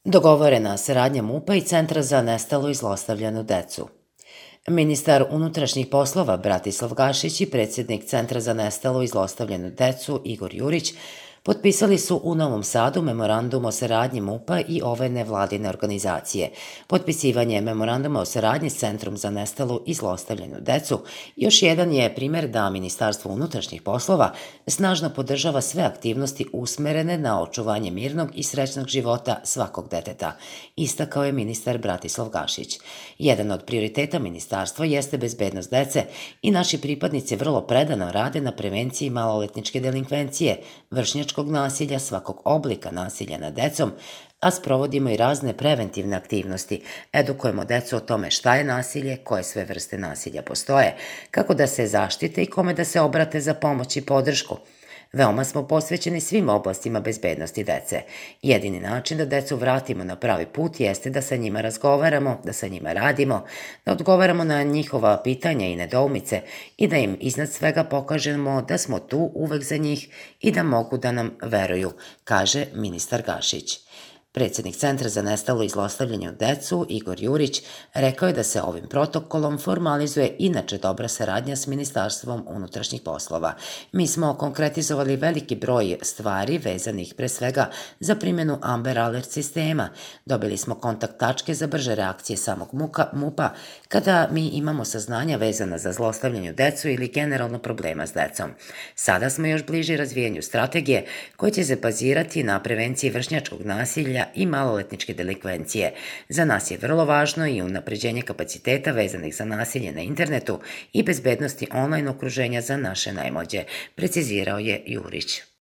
Dogovorena saradnja MUP-a i Centra za nestalu i zlostavljanu decu. Ministar unutrašnjih poslova Bratislav Gašić i predsjednik Centra za nestalu i zlostavljanu decu Igor Jurić potpisali su u Novom Sadu memorandum o saradnji MUP-a i ove nevladine organizacije. Potpisivanje memoranduma o saradnji s Centrom za nestalu i zlostavljanu decu još jedan je primjer da Ministarstvo unutrašnjih poslova snažno podržava sve aktivnosti usmerene na očuvanje mirnog i srećnog života svakog deteta, istakao je ministar Bratislav Gašić. Jedan od prioriteta ministarstva jeste bezbednost dece i naši pripadnici vrlo predano rade na prevenciji maloletničke delinkvencije, vršnjačkog nasilja, svakog oblika nasilja nad decom, a sprovodimo i razne preventivne aktivnosti. Edukujemo decu o tome šta je nasilje, koje sve vrste nasilja postoje, kako da se zaštite i kome da se obrate za pomoć i podršku. Veoma smo posvećeni svim oblastima bezbednosti dece. Jedini način da decu vratimo na pravi put jeste da sa njima razgovaramo, da sa njima radimo, da odgovaramo na njihova pitanja i nedoumice i da im iznad svega pokažemo da smo tu uvek za njih i da mogu da nam veruju, kaže ministar Gašić. Predsjednik Centra za nestalu i zlostavljanu decu, Igor Jurić, rekao je da se ovim protokolom formalizuje inače dobra saradnja s Ministarstvom unutrašnjih poslova. Mi smo konkretizovali veliki broj stvari vezanih pre svega za primjenu Amber Alert sistema. Dobili smo kontakt tačke za brže reakcije samog MUP-a kada mi imamo saznanja vezana za zlostavljanje decu ili generalno problema s decom. Sada smo još bliži razvijanju strategije koje će se bazirati na prevenciji vršnjačkog nasilja i maloletničke delikvencije. Za nas je vrlo važno i unapređenje kapaciteta vezanih za nasilje na internetu i bezbednosti online okruženja za naše najmlađe, precizirao je Jurić.